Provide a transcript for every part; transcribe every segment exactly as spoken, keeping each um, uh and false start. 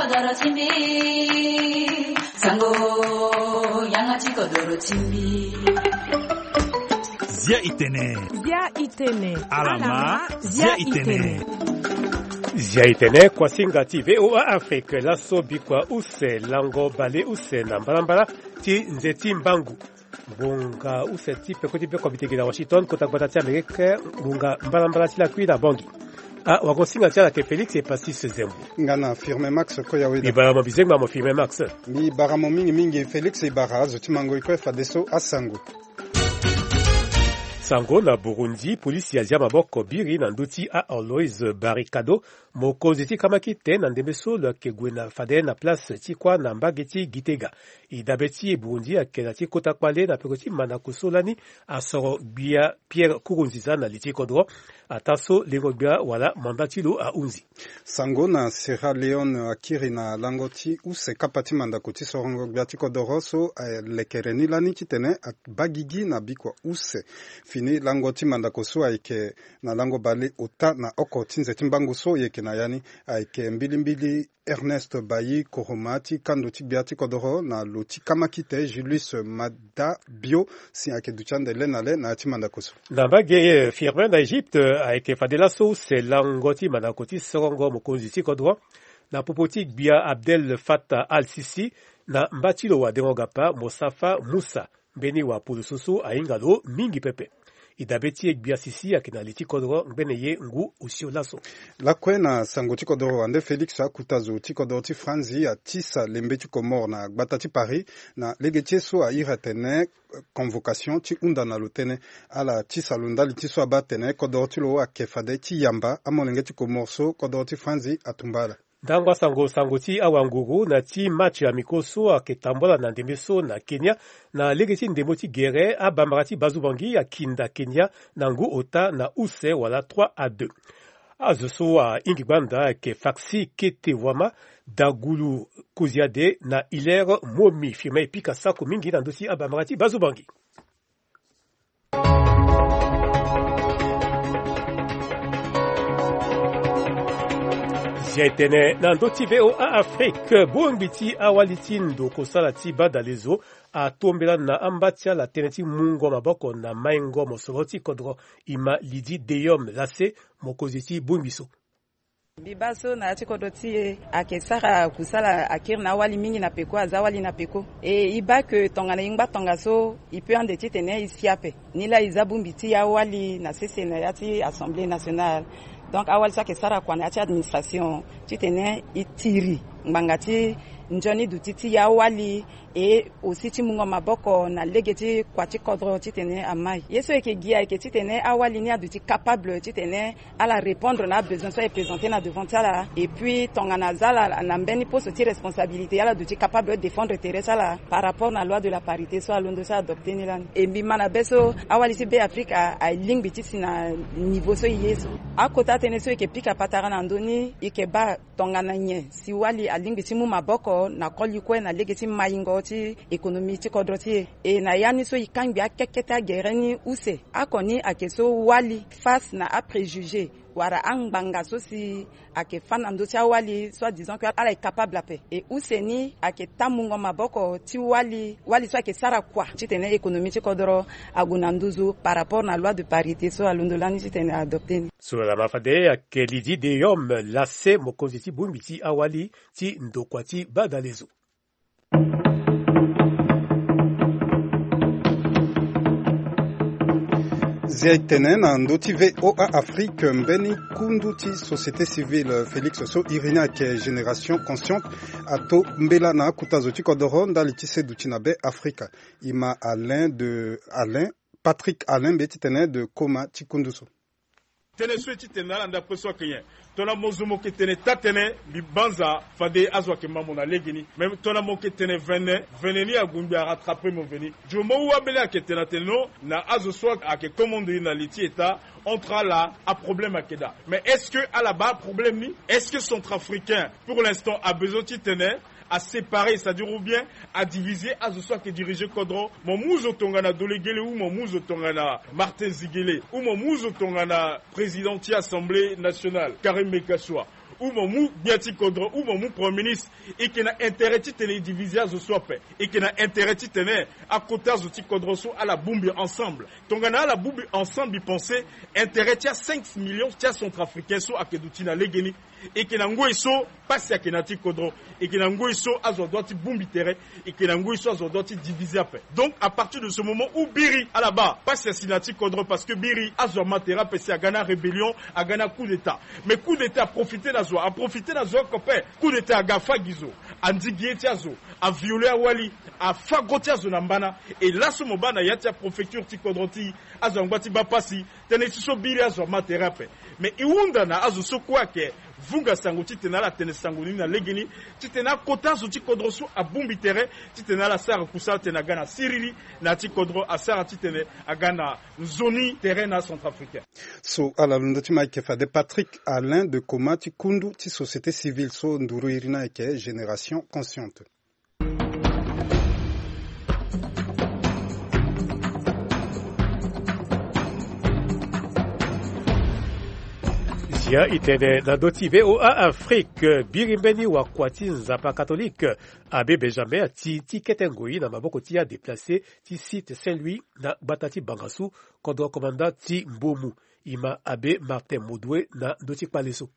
Doro ti mbi, sango, yanga ti kodoro ti mbi. Zia itene. Zia itene. Alama, zia itene. Zia itene, kuasinga ti V O A Afrique, laso bikua use, lango bale use na mbalambala ti nze ti mbangu. Ngbonga use ti peko ti be comité gi na Washington, kota gbata ti Amérique, ngbonga mbalambala ti lakui na Bangui. Ah, wagosinga ti ala ke Félix Epasis Zembo. Nga na Firmin Max Koyaweda. Mbi bara mo bizengba mo Firmin Max. Mbi bara mo mingi mingi Félix, e bara azo ti mango e kue fadeso asango. Sango na Burundi, polisi azia maboko biri na ndö ti a Aloys Barikado, mokonzi ti kamakite na ndembe so lo yeke gue na fade na place ti kuâ na mbage ti Gitega. E dabe ti e Burundi ayeke na ti kota kpale na peko ti mandako so lani asoro gbia Pierre Nkurunziza na li ti kodro. Ataa so lengo gbia wala manda ti lo ahunzi. Sango na Sierra Leone akiri na lango ti use kapa ti mandako ti sorongo gbia ti kodoro so alekere ni lani titene abaa gigi na bikua use. Fini lango ti mandako so ayeke na lango bale ota na oko ti nze ti mbangu so e yeke na ya ni ayeke mbilimbili Ernest Bayi Koroma ti kando ti gbia ti kodoro na lo ti kamakite Julius Madabio si ayeke duti ande le na le na ya ti mandako so. Na mbage, eh, Firmin na Egypte, eh, ayeke fade laso use lango ti mandako ti sorongo mokonzi ti kodro na popo ti gbia Abdel Fattah al-Sisi na mba ti lo wadengo gapa Mostafa Musa. Mbeni wapolo so so ahinga lo mingi pepe. E dabe ti e gbia Sisi ayeke na li ti kodro ngbene ye ngu osio laso. Lakue na sango ti kodro wande Félix, akuta zo ti kodro ti Franzi atisa lembe ti Comores na gbata ti Paris na lege ti ye so airi atene convocation ti hunda na lo tënë. Ala tisa lo ndali ti so abaa atene kodro ti lo ayeke fade ti yamba amolenge ti Comores so kodro ti Franzi atumba ala. Ndangba sango, sango ti awanguru na ti match amicaux so ayeke tambula na ndembe so na Kenya. Na lege ti ndembo ti gere, abambara ti Bazubangi akinda Kenya na ngu ota na use wala trois à deux. Azo so ahingi gbanda ayeke Faxi Kete Wama, Dagulu Koziade na Hilaire Momi. Firmin e pika sako mingi na ndö ti abambara ti Bazubangi. Zia e tene na ndö ti V O A Afrique, bongbi ti awali ti ndo kosala ti badalezo atombela na amba ti ala tënë ti mungo maboko na maingo mosoro ti kodro. E ma Lydie Deyom Lassé, mokonzi ti bongbi so. Mbi baa so na ya ti kodro ti e ayeke sara kusala akiri na awali mingi na peko, aza awali na peko. E e baa ke tongana e ngba tongaso e peut ande titene e si ape. Nilaa e za bongbi ti awali na sese na ya ti Assemblée nationale. Donc awali so ayeke sara kua na ya ti administration titene e tiri ngbanga ti nzoni duti ti awali. Et aussi ti mungo maboko na lege ti kua ti kodro titene amai. Ye so e yeke gi ayeke titene awali ni aduti capable titene ala répondre na abesoin so aye présenter na devant ti ala. Et puis tongana aza ala na mbeni poste ti responsabilité, ala duti capable défendre tere ti ala par rapport na loi de la parité so alondo ti adopter ni lani. E mbi ma na be so awali ti Be Afrika alingbi ti si na niveau so e ye so. Akota tënë so e yeke pika patara na ndö ni, e yeke baa tongana nyen si wali alingbi ti mu maboko na koli kue na lege ti maingo ti économie ti kodro ti e. E na ya ni so e kangbi akeke ti agere ni use. Oko ni ayeke so wali face na apréjugé wala angbanga so si ayeke fâ na ndö ti awali, soit disant que ala est capable ape. E use ni ayeke taa mungo maboko ti wali, wali so ayeke sara kua titene économie ti kodro ague na nduzu par rapport na loi de parité so alondo lani titene adopter ni. So ala ma fade ayeke Lydie Deyom Lassé, mokonzi ti bongbi ti awali ti ndokua ti badalezo. Zia e tene na ndö ti V O A Afrique, mbeni kundu ti société civile Félix so iri ni ayeke Génération Consciente atombela na akuta zo ti kodoro ndali ti se duti na Be Afrika. E ma Alain de Alain, Patrick Alain mbi ye titene de koma ti kundu so. Tënë so e ti tene na ala ndapre so ayeke nyen? Tongana mo zo mo yeke tene taa-tënë, mbi banza fade azo ayeke ma mo na legeni. Me tongana mo yeke tene vene, vene ni ague ngbi arattraper mo veni. Du moment où ambeni ayeke tene atene non, na azo so ayeke commande na li ti État, entre ala aproblème ayeke daa. Mais est-ce que ala baa aproblème ni? Est-ce que Centrafricain pour l'instant abezoin titene aséparer, c'est-à-dire ou bien adiviser azo so ayeke diriger kodro? Mo mu zo tongana Dolegele ou mo mu zo tongana Martin Zigele ou mo mu zo tongana président ti Assemblée nationale Karim Meckassoua Ou mo mu gbia ti kodro, ou mo mu premier ministre. E yeke na intérêt titene e diviser azo so ape. E yeke na intérêt titene akota azo ti kodro so ala bongbi ensemble. Tongana ala bongbi ensemble, e pense intérêt ti a cinq millions ti acentrafricain so ayeke duti na legeni. E yeke na ngoi so pasi ayeke na ti kodro. E yeke na ngoi so azo adoit ti bongbi tere. E yeke na ngoi so azo adoit ti diviser ape. Donc à partir de ce moment où biri ala baa pasi asi na ti kodro, parce que biri azo ama tere ape si aga na rébellion, aga na coup d'état. Mais coup d'état aprofite na zo, aprofite na zo oko ape. Coup d'état aga afa gi zo, andigi ye ti azo, aviole awali, afa gro ti azo na mbana. E laso mo baa na ya ti apréfecture ti kodro ti azo angba ti baa pasi. Tënë ti so biri azo ama tere ape. Mais e hunda na azo so kue ayeke vunga sango titene ala tene sango ni na legeni, titene akota azo ti kodro so abongbi tere, titene ala sara kusala titene aga na siriri na ya ti kodro, asara titene aga na nzoni tere na acentrafricain. So ala londo ti ma ayeke fade Patrick Alain de Coma ti kundu ti société civile so nduru iri ni ayeke Génération Consciente. Zia e tene na ndö ti V O A Afrique, biri mbeni wakua ti Nzapa katolike, Abbé Benjamin ati ti kete ngoi na maboko ti adéplacé ti site Saint-Louis na gbata ti Bangassou, kodro komanda ti Mbomou. E ma Abbé Martin Modoué na ndö ti kpale so.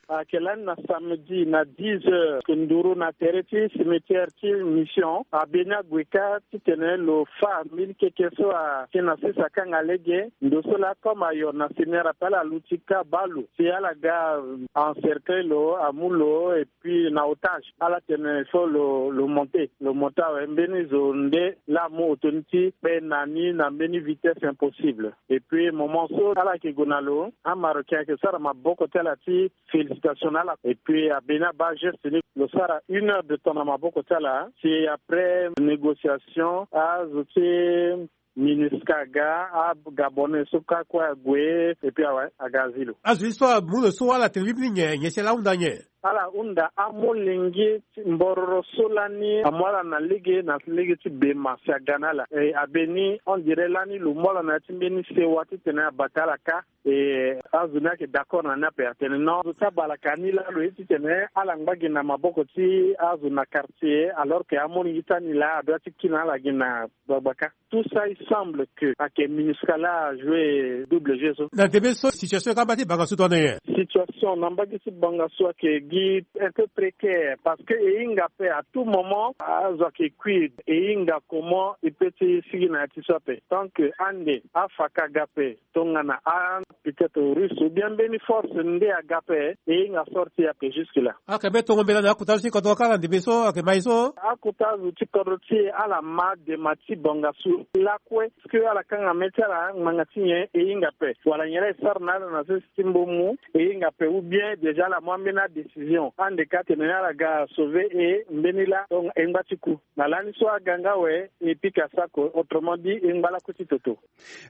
Ayeke lani na samedi na dix heures, nduru na tere ti cimetière ti Mission, abbé ni ague kâ titene lo fa mbeni keke so ayeke na sese akanga lege. Ndo so laa comme ayo na seigneur ape, ala luti kâ baa lo si ala ga encercler lo, amu lo, et puis na otage. Ala tene il faut lo, lo monter, lo monter awe. Mbeni zo nde laa amu auto ni ti kpe na ni na mbeni vitesse impossible. Et puis moment so ala yeke gue na lo, amarocain ayeke sara maboko ti ala ti félicitation na ala. Et puis abbé ni abaa geste ni, lo sara une heure de temps na maboko ti ala. Si après négociation, azo ti MINUSCA aga, agabonais so kâ kue ague, et puis awe, aga azi lo. Azo ye so amu lo so, ala tene mbi nyen, nyen si ala hunda nyen? Ala hunda amolenge ti mbororo so lani amu ala na lege, na lege ti bema si aga na ala. E, abbé ni, on dirait lani lo mu ala na ya ti mbeni sewa titene abata ala kâ. E azo ni ayeke d'accord na ni ape, atene non, zo ti abalaka ni laa lo ye titene ala ngba gi na maboko ti azo na quartier, alors que amolenge ti ani laa adoit ti kiri na ala gi na gbagba kâ. Tout ça, il semble que ayeke MINUSCA laa ajoue double jeu so. Na ndembe so situation ka mbage ti Bangassou tongana nyen? Situation na mbage ti Bangassou ayeke gi un peu précaire, parce que e hinga ape, à tout moment azo ayeke kui. E hinga comment e peut ti sigi na ya ti so ape. Tant que ande afa ka aga ape, tongana a peut-être russe ou bien mbeni force nde aga ape, e hinga sorti ape jusque là. Ayeke mbeni tongo mbela na akota azo ti kodro kâ na ndembe so ayeke ma e so? Akota azo ti kodro ti e ala ma dema ti Bangassou lakue. Est-ce que ala kanga mê ti ala, ngbanga ti nyen? E hinga ape. Wala nyen laa e sara na ala na sese ti Mbomou? E hinga ape. Ou bien déjà ala mu ambeni adécision, ande kâ atene ni ala ga sauver e mbeni laa, donc e ngba ti ku. Na lani so aga nga awe, e pika sako, autrement dit e ngba lakue ti toto.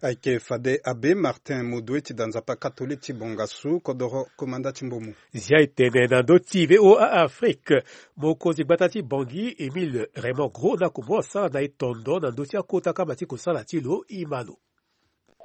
Ayeke fade Abbé Martin Modoué ti da Nzapa katolike ti Bangassou, kodoro komanda ti Mbomou. Zia e tene na ndö ti V O A Afrique, mokonzi gbata ti Bangui, Émile Raymond Gros, na akomo asara na e tondo na ndö ti akota kama ti kosala ti lo. E ma lo.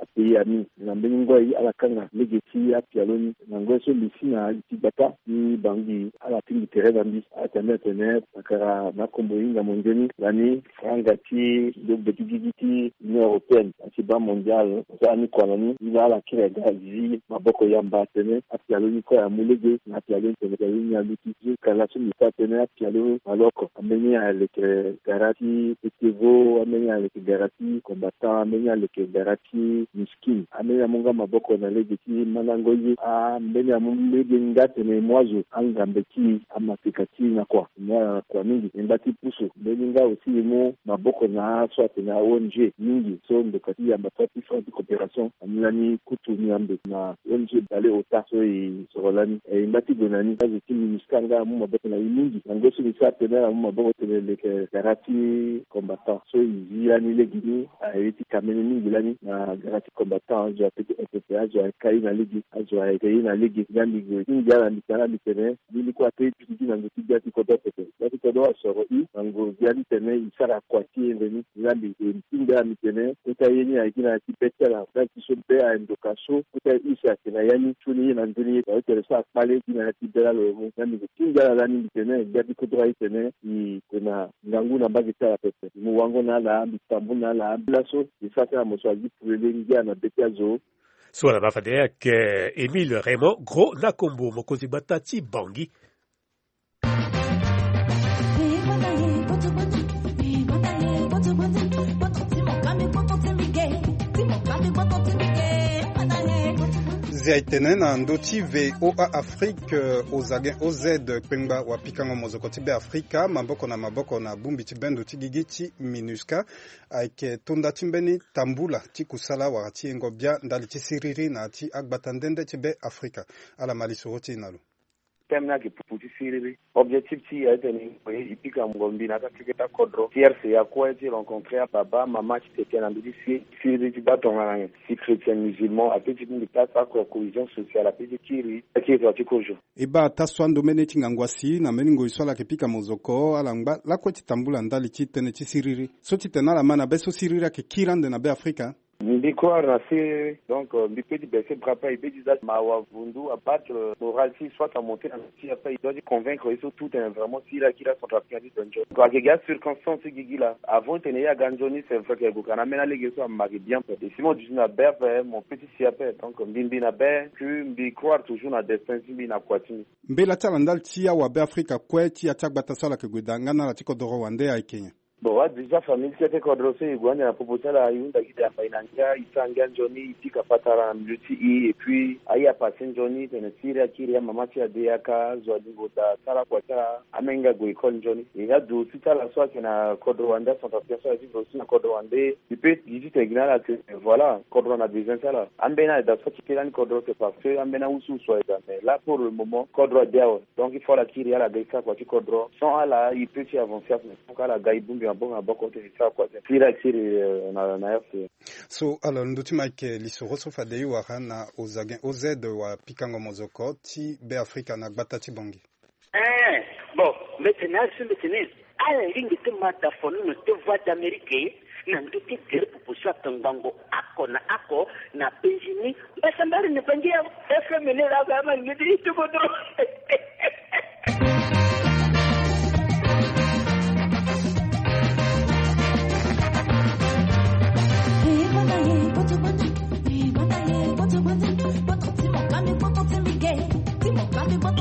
Apayi ami, na mbeni ngoi ala kanga lege ti apialo ni. Na ngoi so mbi si na li ti gbata ti Bangui, ala tingbi tere na mbi. Atene atene pakara na akombo e hinga mo nzoni lani, franga ti logbe ti gigi ti Union Européenne, na ti Banque Mondiale, asara ni kua na ni. Ni laa ala kiri aga zi maboko yamba atene apialo ni kue amu lege. Na apialo ni tene apialo ni aluti. Jusqu'à laso mbi sara tënë, apialo na lo oko, ambeni aleke gara ti petevo, ambeni aleke gara ti combattant, ambeni aleke gara ti miskin. Ambeni amu nga maboko na lege ti mandango ye. Ambeni amu lege nga tene e mu azo angambe ti e, amateka ti e na kua. E mu ala na kua mingi. E ngba ti pusu. Mbeni nga aussi e mu maboko na aso atene a O N G mingi so ndoka ti yamba ti apuissance ti coopération. Ani lani kutu ni ambe na O N G Bale Ota so e soro lani. E ngba ti gue na ni. Azo ti MINUSCA nga amu maboko na e mingi. Na ngoi so mbi sara tene ala mu maboko tene leke gara ti combattant so e zi lani lege ni. Aye ti ka mbeni mingi lani na gara ti combattant, azo ape ti E P P, azo ayeke ye na lege, azo ayeke ye na lege. Nga mbi gue ti ngia na mbi tara mbi tene, mbeni kue ape e piki gi na ngu ti gbia ti kodro pepe. Gbia ti kodro asoro e na ngu gbia. Ndali tene e sara kua ti e nzeni. Ndali e ti nda mbi tene kota ye ni ayeke na ya ti be ti ala ndali ti so be aye ndoka so kota ye use ayeke na ya ni sioni ye na nzoni ye. Aye tene so akpale gi na ya ti be lalo mo. Ndali mbi ti nda ala lani mbi tene nda ti kodro aye tene e yeke na ngangu na mbage ti ala pepe. Mbi mu wango na ala, mbi tambu na ala. Laso e sara ti ala mo so agi pulele ngia na be ti azo. So ala baa fade ayeke Émile Raymond Gros Nakombo, mokonzi gbata ti Bangui. Zia e tene na ndö ti V O A Afrique, euh, Ozagen O Z, kpengba wapikango mozoko ti Be Afrika, maboko na maboko na bongbi ti bendo ti gigi ti MINUSCA, ayeke tonda ti mbeni tambula ti kusala wala ti yengo bia ndali ti siriri na ya ti agbata nde nde ti Be Afrika. Ala ma lisoro ti e na lo. Teme ni ayeke pupu ti siriri. Objectif ti e aye tene e pika mungo mbi na kâ ti keta kodro ti R C A kue ti rencontrer ababa mama ti tete na ndö ti si siriri ti baa tongana nyen si chrétien musulman ape ti bongbi kâ ti sara cohésion sociale ape ti kiri akiri tongana ti kozo. E baa taa so ando mbeni ti ngangu asi na mbeni ngoi so ala yeke pika mozoko ala ngba lakue ti tambula ndali ti tënë ti siriri so ti tene ala ma na be so siriri ayeke kiri ande na Be Afrika. Mbi croire na siriri. Donc, euh, mbi peut ti baisser bras ape, mbi peut ti za mawa vundu abattre, euh, moral ti soit amonter na ti ape, il doit ti convaincre ye so tout tene vraiment siriri akiri acentrafricain ti donjo. Donc ayeke gi acirconstance ti gigi laa. Avant tene ye aga nzoni, c'est vrai que gue ka na ambeni alege so ama ayeke bien ape. Et si mo duti na be ape, mo peut ti si ape. Donc mbi mbi na be, puis mbi croire toujours na destin ti mbi na kua ti mbi. Mbela ti ala ndali ti awa Be Afrika kue ti ya ti agbata so ala yeke gue daa nga na ala ti kodoro wande ayeke nyen? Bon, wa déjà famille ti ake kodro so e gue ande na popo ti ala, e hunda gi de apai na ngia, e sara ngia nzoni, e pika patara na milieu ti e, et puis aye apasse nzoni tene siriri akiri, amama ti e ade yaka, zo alingo daa, sara kua ti ala, amenge ague école nzoni. E adu aussi ti ala so ayeke na kodro wande, acentrafricain so aye vivre aussi na kodro wande, e peut gi titene gi na ala que voilà, kodro na besoin ti ala. Ambeni aye daa so ti kiri lani kodro, c'est parce que ambeni awusuwusu aye daa, mais là pour le moment kodro ade awe. Donc il faut ala kiri, ala ga e sara kua ti kodro. Sans ala e peut ti avancer ape. Donc ala ga e bongbi maboko na maboko ti e sara kua ti e. Siriri akiri, euh, na, na R C A. So alors ndö ti Mike, lisoro so fade e wara na Ozagen O Z wapikango mozoko ti Be Afrika na gbata ti Bangui. Eh, bon, mbi tene azo, mbi tene ala lingbi ti ma da fo nono ti Voix d'Amérique na ndö ti gere popo so atongbango oko na oko na penzi ni. Mbasambala ni bangi ya F M ni la ga ma ni ti tukutu.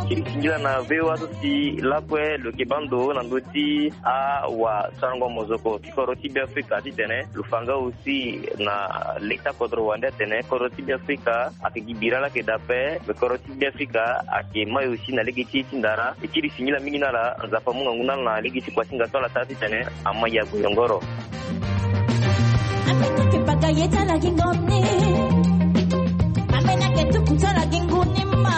Ti singila na V O A so si lakue lo yeke baa ndo na ndö ti awasarango mozoko ti kodro ti Be Afrika titene lo fa nga aussi na leta kodro wande atene kodro ti Be Afrika ayeke gi bira laa ayeke daa ape, me kodro ti Be Afrika ayeke mai aussi na lege ti e ti ndara. E kiri singila mingi na ala, Nzapa amu ngangu na ala na lege ti kuasinga so ala sara titene ama ya gue yongoro. Ambeni ayeke baka ye ti ala gi ngoni. Ambeni ayeke tuku ti ala gi ngu ni ma.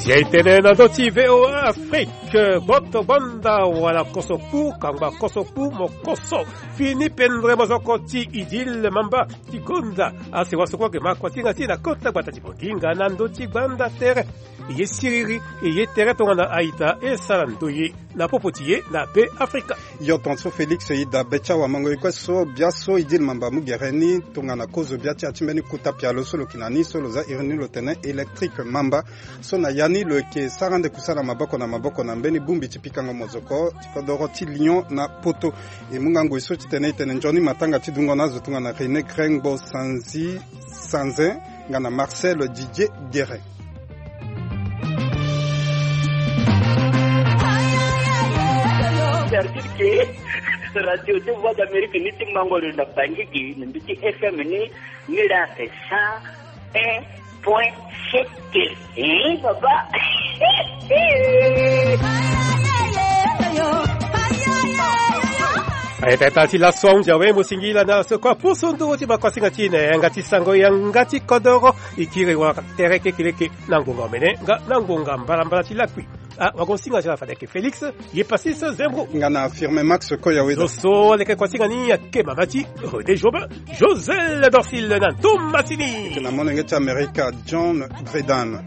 Zia e tene na ndö ti V O A Afrique, gboto gbanda wala koso kpu, kangba koso kpu, mo koso. Fini pendre mozoko ti Idil Mamba ti gonda asewa so kue ayeke ma kuasinga ti e na kota gbata ti Bonginga na ndö ti gbanda tere. E ye siriri, e ye tere tongana a-ita e sara ndoye na popo ti e na Be Afrika. Yo tongaso Félix, e daa be ti awamango e kue so biaso Idil Mamba amu gere ni tongana kozo bia ti ya ti mbeni kota pialo so lo yeke na ni so lo za iri ni lo tene Électrique Mamba. So na ya ni lo yeke sara ande kusala maboko na maboko na mbeni bongbi ti pikango mozoko ti kodoro ti Lyon na Poto. E mu nga ngoi so titene e tene nzoni matanga ti dungo na azo tongana René Grengbo Sanzi Sanzin nga na Marcel Didier Guérin. C'est-à-dire que radio de Voix d'Amérique ni ti mango lo na Bangui gi na mbi ti F M ni, ni la c'est cent un point sept. Eh, papa. Aye tata ti laso ahunzi awe, mo singila na so kue apusu nduru ti bakuasinga ti e na yanga ti sango yanga ti kodoro. E kiri wara tere kekeleke na ngonga omene nga na ngonga mbalambala ti lakui. Ah, wagosinga ti ala fade ayeke Félix, ye Passis Zembro. Nga na Firmin Max Koyaweda. Zo so aleke kuasinga ni ayeke mama ti René Jobin, Josel Dorsil na Thomasini. Ayeke na molenge ti Amerika, John Bredan.